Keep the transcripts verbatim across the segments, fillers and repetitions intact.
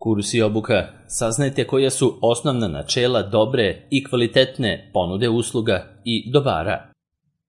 Kurs i obuka. Saznajte koja su osnovna načela dobre i kvalitetne ponude usluga i dobara.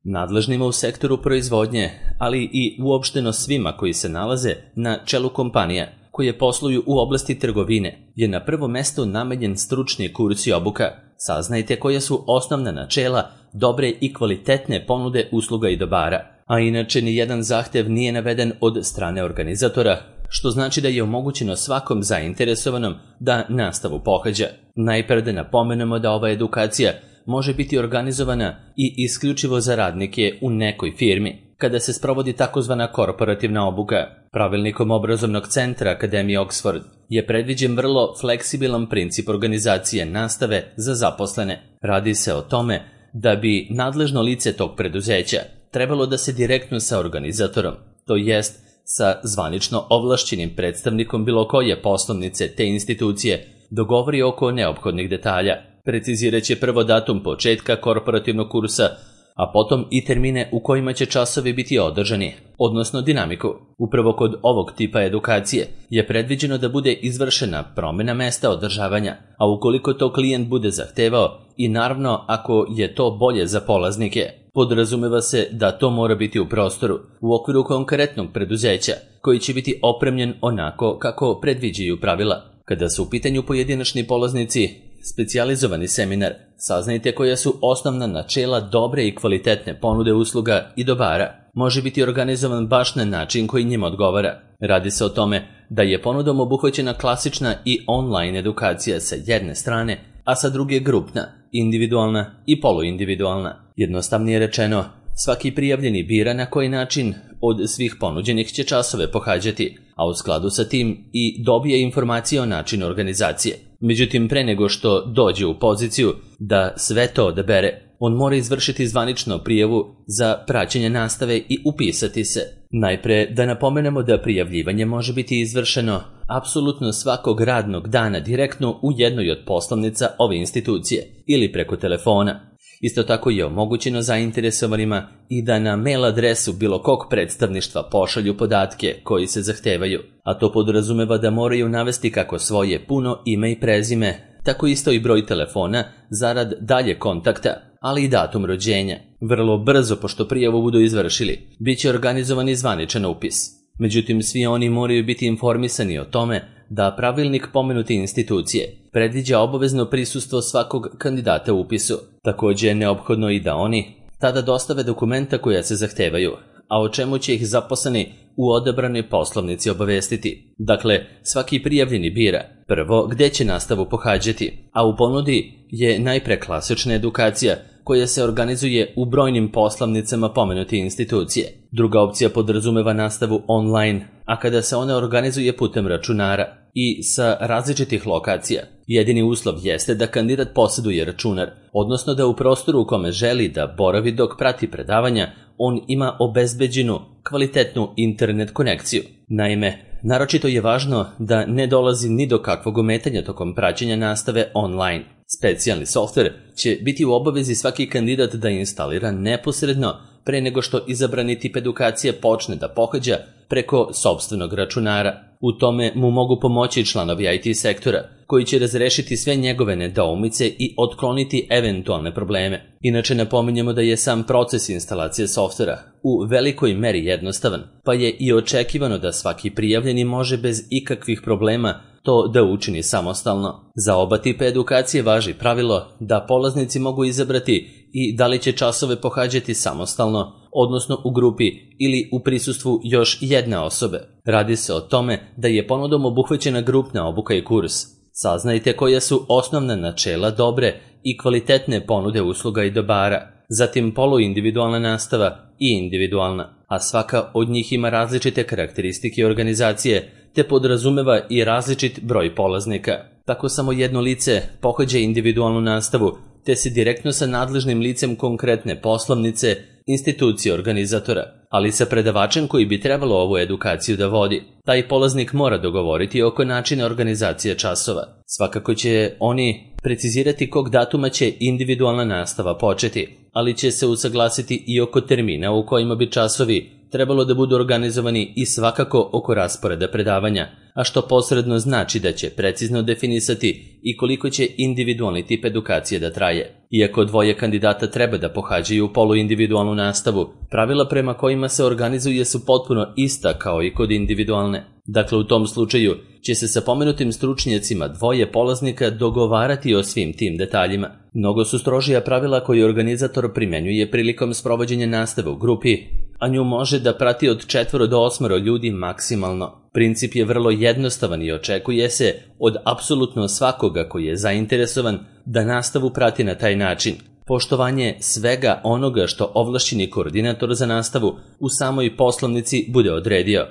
Nadležnima u sektoru proizvodnje, ali i uopšteno svima koji se nalaze na čelu kompanija koje posluju u oblasti trgovine, je na prvo mesto namenjen stručni kurs i obuka. Saznajte koja su osnovna načela dobre i kvalitetne ponude usluga i dobara, a inače ni jedan zahtev nije naveden od strane organizatora, što znači da je omogućeno svakom zainteresovanom da nastavu pohađa. Najpre da napomenemo da ova edukacija može biti organizovana i isključivo za radnike u nekoj firmi, kada se sprovodi takozvana korporativna obuka. Pravilnikom obrazovnog centra Akademije Oxford je predviđen vrlo fleksibilan princip organizacije nastave za zaposlene. Radi se o tome da bi nadležno lice tog preduzeća trebalo da se direktno sa organizatorom, to jest sa zvanično ovlašćenim predstavnikom bilo koje poslovnice te institucije, dogovori oko neophodnih detalja. Precizirat će prvo datum početka korporativnog kursa, a potom i termine u kojima će časovi biti održani, odnosno dinamiku. Upravo kod ovog tipa edukacije je predviđeno da bude izvršena promjena mesta održavanja, a ukoliko to klijent bude zahtevao i naravno ako je to bolje za polaznike, podrazumeva se da to mora biti u prostoru, u okviru konkretnog preduzeća, koji će biti opremljen onako kako predviđaju pravila. Kada su u pitanju pojedinačni polaznici, specijalizovani seminar, saznajte koja su osnovna načela dobre i kvalitetne ponude usluga i dobara, može biti organizovan baš na način koji njima odgovara. Radi se o tome da je ponudom obuhvaćena klasična i online edukacija sa jedne strane, a sa druge grupna, individualna i poluindividualna. Jednostavnije rečeno, svaki prijavljeni bira na koji način od svih ponuđenih će časove pohađati, a u skladu sa tim i dobije informacije o načinu organizacije. Međutim, pre nego što dođe u poziciju da sve to odabere, on mora izvršiti zvanično prijavu za praćenje nastave i upisati se. Najpre da napomenemo da prijavljivanje može biti izvršeno apsolutno svakog radnog dana direktno u jednoj od poslovnica ove institucije ili preko telefona. Isto tako je omogućeno zainteresovanima i da na mail adresu bilo kog predstavništva pošalju podatke koji se zahtevaju, a to podrazumeva da moraju navesti kako svoje puno ime i prezime, tako isto i broj telefona zarad dalje kontakta, ali i datum rođenja. Vrlo brzo, pošto prijavu budu izvršili, bit će organizovan i zvaničan upis. Međutim, svi oni moraju biti informisani o tome da pravilnik pomenute institucije predviđa obavezno prisustvo svakog kandidata u upisu. Također je neophodno i da oni tada dostave dokumenta koja se zahtevaju, a o čemu će ih zaposleni u odabranoj poslovnici obavestiti. Dakle, svaki prijavljeni bira prvo gde će nastavu pohađati, a u ponudi je najpre klasična edukacija koja se organizuje u brojnim poslovnicama pomenute institucije. Druga opcija podrazumeva nastavu online, a kada se ona organizuje putem računara i sa različitih lokacija. Jedini uslov jeste da kandidat posjeduje računar, odnosno da u prostoru u kome želi da boravi dok prati predavanja, on ima obezbeđenu kvalitetnu internet konekciju. Naime, naročito je važno da ne dolazi ni do kakvog ometanja tokom praćenja nastave online. Specijalni softver će biti u obavezi svaki kandidat da instalira neposredno pre nego što izabrani tip edukacije počne da pohađa preko sopstvenog računara. U tome mu mogu pomoći članovi I T sektora, koji će razrešiti sve njegove nedoumice i otkloniti eventualne probleme. Inače napominjemo da je sam proces instalacije softvera u velikoj meri jednostavan, pa je i očekivano da svaki prijavljeni može bez ikakvih problema to da učini samostalno. Za oba tipa edukacije važi pravilo da polaznici mogu izabrati i da li će časove pohađati samostalno, odnosno u grupi ili u prisustvu još jedne osobe. Radi se o tome da je ponudom obuhvaćena grupna obuka i kurs. Saznajte koja su osnovna načela dobre i kvalitetne ponude usluga i dobara, zatim poluindividualna nastava i individualna, a svaka od njih ima različite karakteristike organizacije te podrazumeva i različit broj polaznika. Tako samo jedno lice pohađa individualnu nastavu te se direktno sa nadležnim licem konkretne poslovnice, institucije organizatora, ali sa predavačem koji bi trebalo ovu edukaciju da vodi. Taj polaznik mora dogovoriti oko načina organizacije časova. Svakako će oni precizirati kog datuma će individualna nastava početi, ali će se usaglasiti i oko termina u kojima bi časovi trebalo da budu organizovani i svakako oko rasporeda predavanja, a što posredno znači da će precizno definisati i koliko će individualni tip edukacije da traje. Iako dvoje kandidata treba da pohađaju poluindividualnu nastavu, pravila prema kojima se organizuje su potpuno ista kao i kod individualne. Dakle, u tom slučaju će se sa pomenutim stručnjacima dvoje polaznika dogovarati o svim tim detaljima. Mnogo su strožija pravila koje organizator primenjuje prilikom sprovođenja nastave u grupi, a nju može da prati od četvoro do osmoro ljudi maksimalno. Princip je vrlo jednostavan i očekuje se od apsolutno svakoga koji je zainteresovan da nastavu prati na taj način. Poštovanje svega onoga što ovlašćeni koordinator za nastavu u samoj poslovnici bude odredio.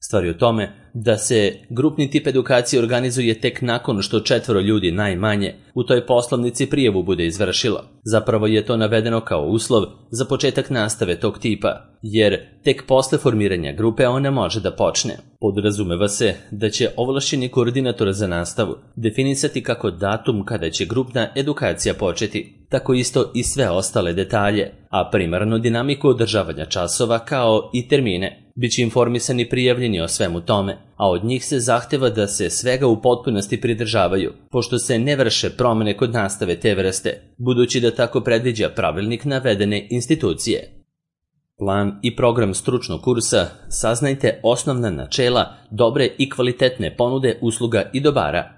Stvar je u tome da se grupni tip edukacije organizuje tek nakon što četvoro ljudi najmanje u toj poslovnici prijavu bude izvršilo. Zapravo je to navedeno kao uslov za početak nastave tog tipa, jer tek posle formiranja grupe ona može da počne. Podrazumeva se da će ovlašćeni koordinator za nastavu definisati kako datum kada će grupna edukacija početi, tako isto i sve ostale detalje, a primarno dinamiku održavanja časova kao i termine. Biće informisani prijavljeni o svemu tome, a od njih se zahteva da se svega u potpunosti pridržavaju, pošto se ne vrše promene kod nastave te vrste, budući da tako predviđa pravilnik navedene institucije. Plan i program stručnog kursa, saznajte osnovna načela dobre i kvalitetne ponude usluga i dobara.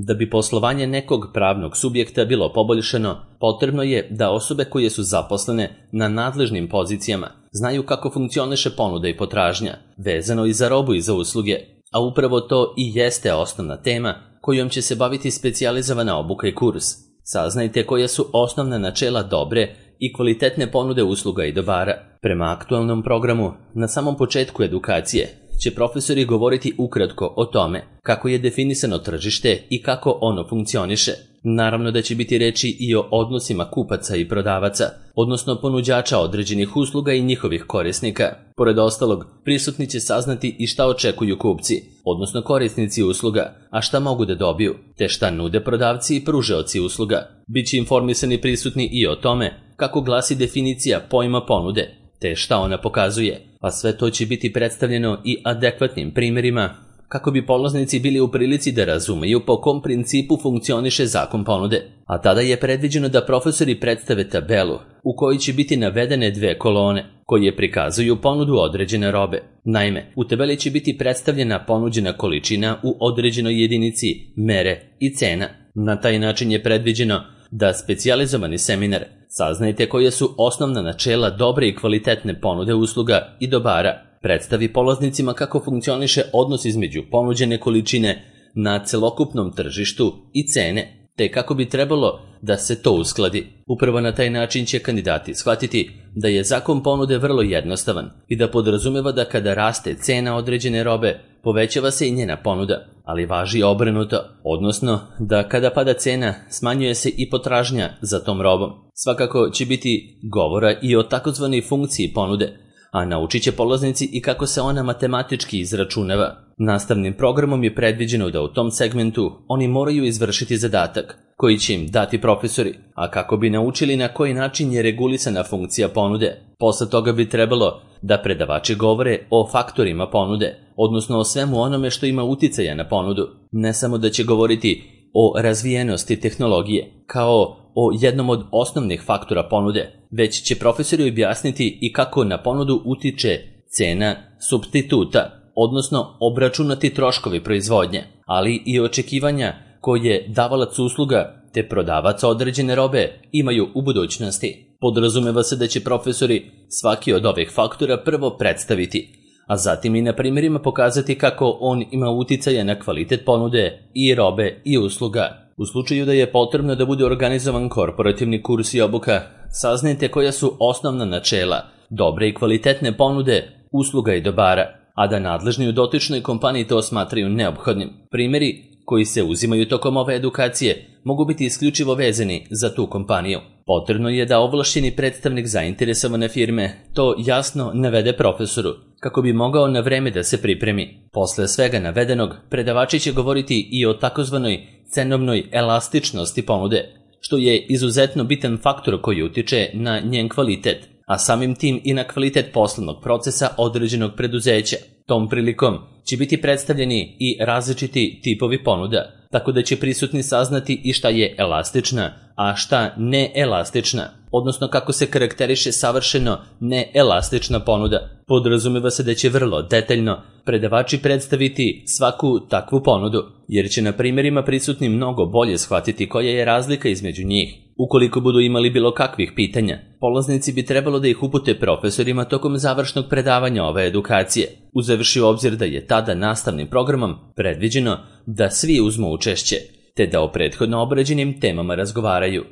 Da bi poslovanje nekog pravnog subjekta bilo poboljšano, potrebno je da osobe koje su zaposlene na nadležnim pozicijama znaju kako funkcioniše ponuda i potražnja, vezano i za robu i za usluge, a upravo to i jeste osnovna tema kojom će se baviti specijalizovana obuka i kurs. Saznajte koja su osnovna načela dobre i kvalitetne ponude usluga i dobara. Prema aktualnom programu, na samom početku edukacije, će profesori govoriti ukratko o tome kako je definisano tržište i kako ono funkcioniše. Naravno da će biti reči i o odnosima kupaca i prodavaca, odnosno ponuđača određenih usluga i njihovih korisnika. Pored ostalog, prisutni će saznati i šta očekuju kupci, odnosno korisnici usluga, a šta mogu da dobiju, te šta nude prodavci i pružaoci usluga. Biće informisani prisutni i o tome kako glasi definicija pojma ponude, te šta ona pokazuje, a sve to će biti predstavljeno i adekvatnim primjerima kako bi polaznici bili u prilici da razumeju po kom principu funkcioniše zakon ponude. A tada je predviđeno da profesori predstave tabelu u kojoj će biti navedene dve kolone koje prikazuju ponudu određene robe. Naime, u tabeli će biti predstavljena ponuđena količina u određenoj jedinici, mere i cena. Na taj način je predviđeno da specijalizovani seminar saznajte koje su osnovna načela dobre i kvalitetne ponude usluga i dobara, predstavi polaznicima kako funkcioniše odnos između ponuđene količine na celokupnom tržištu i cene, te kako bi trebalo da se to uskladi. Upravo na taj način će kandidati shvatiti da je zakon ponude vrlo jednostavan i da podrazumeva da kada raste cena određene robe, povećava se i njena ponuda, ali važi obrnuto, odnosno da kada pada cena, smanjuje se i potražnja za tom robom. Svakako će biti govora i o takozvanoj funkciji ponude, a naučit će polaznici i kako se ona matematički izračunava. Nastavnim programom je predviđeno da u tom segmentu oni moraju izvršiti zadatak koji će im dati profesori, a kako bi naučili na koji način je regulisana funkcija ponude. Posle toga bi trebalo da predavači govore o faktorima ponude, odnosno o svemu onome što ima uticaja na ponudu. Ne samo da će govoriti o razvijenosti tehnologije, kao o jednom od osnovnih faktora ponude, već će profesori objasniti i kako na ponudu utiče cena supstituta, odnosno obračunati troškovi proizvodnje, ali i očekivanja koje davalac usluga te prodavac određene robe imaju u budućnosti. Podrazumeva se da će profesori svaki od ovih faktora prvo predstaviti, a zatim i na primjerima pokazati kako on ima uticaja na kvalitet ponude i robe i usluga. U slučaju da je potrebno da bude organizovan korporativni kurs i obuka, saznajte koja su osnovna načela dobre i kvalitetne ponude usluga i dobara, a da nadležni u dotičnoj kompaniji to smatraju neophodnim. Primjeri koji se uzimaju tokom ove edukacije mogu biti isključivo vezani za tu kompaniju. Potrebno je da ovlašćeni predstavnik zainteresovane firme to jasno navede profesoru, kako bi mogao na vreme da se pripremi. Posle svega navedenog, predavači će govoriti i o takozvanoj cenovnoj elastičnosti ponude, što je izuzetno bitan faktor koji utiče na njen kvalitet, a samim tim i na kvalitet poslovnog procesa određenog preduzeća. Tom prilikom će biti predstavljeni i različiti tipovi ponuda, tako da će prisutni saznati i šta je elastična, a šta neelastična, odnosno kako se karakteriše savršeno neelastična ponuda. Podrazumeva se da će vrlo detaljno predavači predstaviti svaku takvu ponudu, jer će na primjerima prisutni mnogo bolje shvatiti koja je razlika između njih. Ukoliko budu imali bilo kakvih pitanja, polaznici bi trebalo da ih upute profesorima tokom završnog predavanja ove edukacije, uzevši u obzir da je tada nastavnim programom predviđeno da svi uzmu učešće, te da o prethodno obrađenim temama razgovaraju.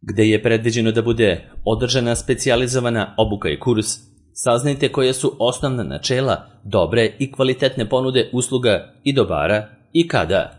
Gde je predviđeno da bude održana specijalizovana obuka i kurs, saznajte koja su osnovna načela dobre i kvalitetne ponude usluga i dobara i kada.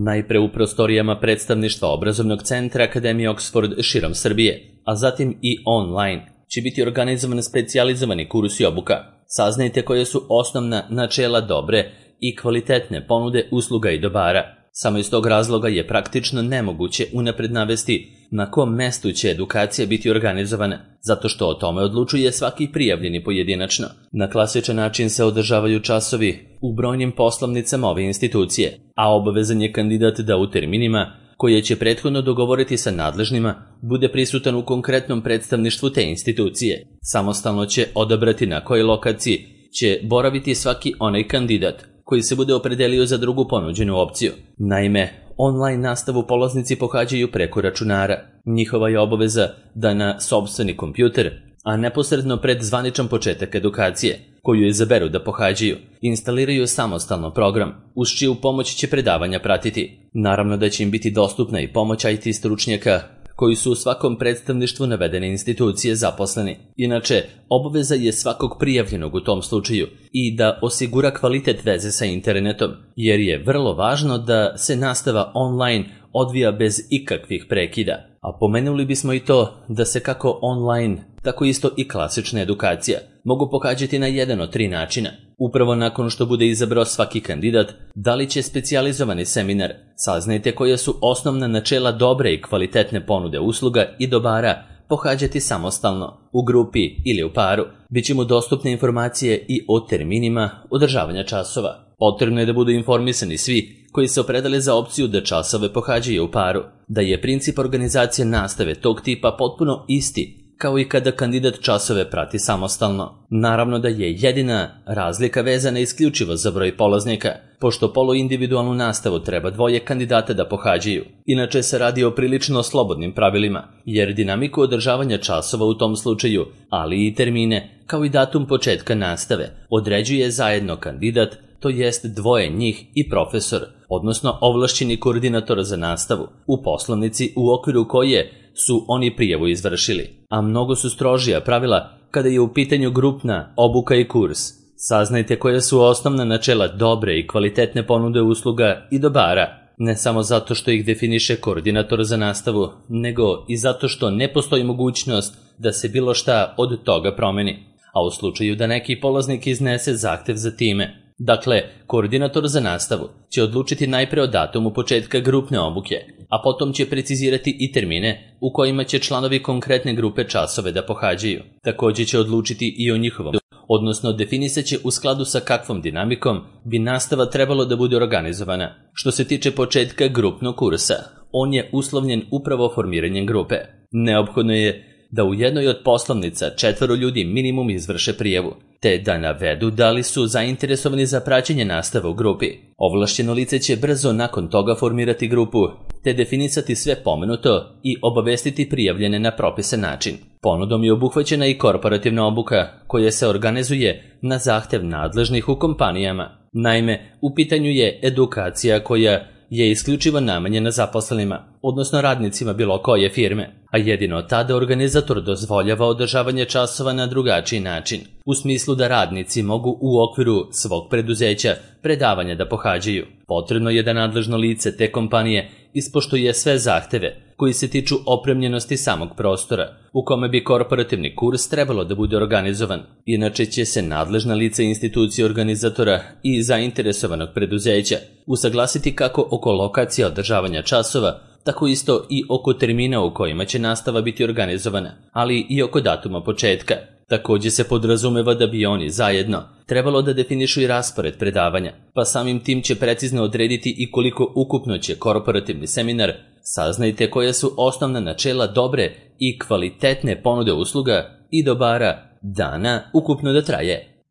Najpre u prostorijama predstavništva obrazovnog centra Akademije Oxford širom Srbije, a zatim i online, će biti organizovan specijalizovani kurs i obuka. Saznajte koje su osnovna načela dobre i kvalitetne ponude usluga i dobara. Samo iz tog razloga je praktično nemoguće unapred navesti na kom mestu će edukacija biti organizovana, zato što o tome odlučuje svaki prijavljeni pojedinačno. Na klasičan način se održavaju časovi u brojnim poslovnicama ove institucije, a obavezan je kandidat da u terminima, koje će prethodno dogovoriti sa nadležnima, bude prisutan u konkretnom predstavništvu te institucije. Samostalno će odabrati na kojoj lokaciji će boraviti svaki onaj kandidat koji se bude opredelio za drugu ponuđenu opciju. Naime, online nastavu polaznici pohađaju preko računara. Njihova je obaveza da na sopstveni kompjuter, a neposredno pred zvaničan početak edukacije, koju izaberu da pohađaju, instaliraju samostalno program, uz čiju pomoć će predavanja pratiti. Naravno da će im biti dostupna i pomoć I T stručnjaka, koji su u svakom predstavništvu navedene institucije zaposleni. Inače, obaveza je svakog prijavljenog u tom slučaju i da osigura kvalitet veze sa internetom, jer je vrlo važno da se nastava online odvija bez ikakvih prekida. A pomenuli bismo i to da se kako online, tako isto i klasična edukacija mogu pohađati na jedan od tri načina. Upravo nakon što bude izabrao svaki kandidat, da li će specijalizovani seminar, saznajte koja su osnovna načela dobre i kvalitetne ponude usluga i dobara, pohađati samostalno, u grupi ili u paru. Biće mu dostupne informacije i o terminima održavanja časova. Potrebno je da budu informisani svi koji se opredele za opciju da časove pohađaju u paru, da je princip organizacije nastave tog tipa potpuno isti kao i kada kandidat časove prati samostalno. Naravno da je jedina razlika vezana isključivo za broj polaznika, pošto poluindividualnu nastavu treba dvoje kandidata da pohađaju. Inače se radi o prilično slobodnim pravilima, jer dinamiku održavanja časova u tom slučaju, ali i termine, kao i datum početka nastave, određuje zajedno kandidat, to jest dvoje njih i profesor, odnosno ovlašćeni koordinator za nastavu, u poslovnici u okviru koje su oni prijavu izvršili. A mnogo su strožija pravila kada je u pitanju grupna obuka i kurs. Saznajte koja su osnovna načela dobre i kvalitetne ponude usluga i dobara, ne samo zato što ih definiše koordinator za nastavu, nego i zato što ne postoji mogućnost da se bilo šta od toga promeni, a u slučaju da neki polaznik iznese zahtev za time. Dakle, koordinator za nastavu će odlučiti najpre o datumu početka grupne obuke, a potom će precizirati i termine u kojima će članovi konkretne grupe časove da pohađaju. Također će odlučiti i o njihovom, odnosno definisat će u skladu sa kakvom dinamikom bi nastava trebalo da bude organizovana. Što se tiče početka grupnog kursa, on je uslovljen upravo formiranjem grupe. Neophodno je da u jednoj od poslovnica četvoro ljudi minimum izvrše prijavu, te da navedu da li su zainteresovani za praćenje nastave u grupi. Ovlašćeno lice će brzo nakon toga formirati grupu, te definisati sve pomenuto i obavestiti prijavljene na propisan način. Ponudom je obuhvaćena i korporativna obuka, koja se organizuje na zahtev nadležnih u kompanijama. Naime, u pitanju je edukacija koja je isključivo namenjena zaposlenima, odnosno radnicima bilo koje firme, a jedino tada organizator dozvoljava održavanje časova na drugačiji način, u smislu da radnici mogu u okviru svog preduzeća predavanja da pohađaju. Potrebno je da nadležno lice te kompanije ispoštuje sve zahteve koji se tiču opremljenosti samog prostora u kome bi korporativni kurs trebalo da bude organizovan. Inače će se nadležna lica institucije organizatora i zainteresovanog preduzeća usaglasiti kako oko lokacije održavanja časova, tako isto i oko termina u kojima će nastava biti organizovana, ali i oko datuma početka. Također se podrazumeva da bi oni zajedno trebalo da definišu i raspored predavanja, pa samim tim će precizno odrediti i koliko ukupno će korporativni seminar Saznajte koja su osnovna načela dobre i kvalitetne ponude usluga i dobara dana ukupno da traje.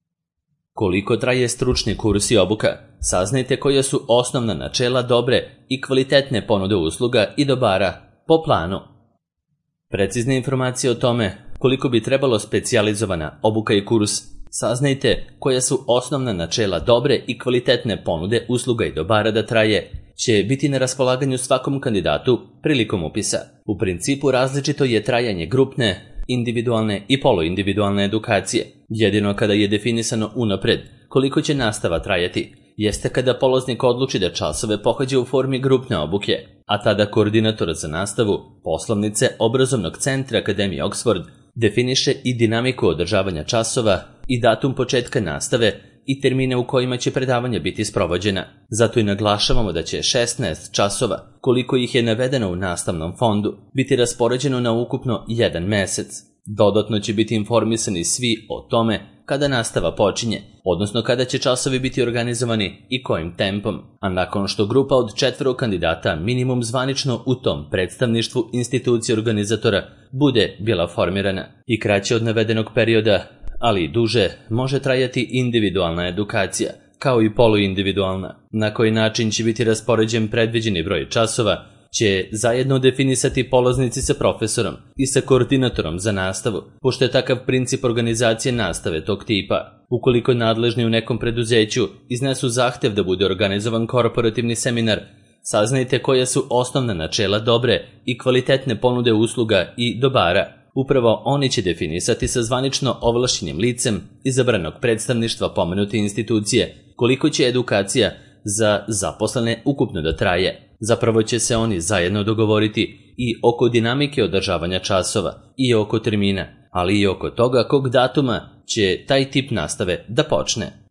Koliko traje stručni kurs i obuka? Saznajte koja su osnovna načela dobre i kvalitetne ponude usluga i dobara po planu. Precizne informacije o tome koliko bi trebalo specijalizovana obuka i kurs, saznajte koja su osnovna načela dobre i kvalitetne ponude usluga i dobara da traje, će biti na raspolaganju svakom kandidatu prilikom upisa. U principu različito je trajanje grupne, individualne i poluindividualne edukacije. Jedino kada je definisano unapred koliko će nastava trajati, jeste kada polaznik odluči da časove pohađa u formi grupne obuke, a tada koordinator za nastavu poslovnice obrazovnog centra Akademije Oxford definiše i dinamiku održavanja časova i datum početka nastave i termine u kojima će predavanja biti sprovođena. Zato i naglašavamo da će šesnaest časova, koliko ih je navedeno u nastavnom fondu, biti raspoređeno na ukupno jedan mesec. Dodatno će biti informisani svi o tome kada nastava počinje, odnosno kada će časovi biti organizovani i kojim tempom, a nakon što grupa od četvoro kandidata minimum zvanično u tom predstavništvu institucije organizatora bude bila formirana i kraće od navedenog perioda, ali i duže, može trajati individualna edukacija, kao i poluindividualna. Na koji način će biti raspoređen predviđeni broj časova, će zajedno definisati polaznici sa profesorom i sa koordinatorom za nastavu, pošto je takav princip organizacije nastave tog tipa. Ukoliko nadležni u nekom preduzeću iznesu zahtev da bude organizovan korporativni seminar, saznajte koja su osnovna načela dobre i kvalitetne ponude usluga i dobara. Upravo oni će definisati sa zvanično ovlašćenim licem izabranog predstavništva pomenute institucije koliko će edukacija za zaposlene ukupno da traje. Zapravo će se oni zajedno dogovoriti i oko dinamike održavanja časova i oko termina, ali i oko toga kog datuma će taj tip nastave da počne.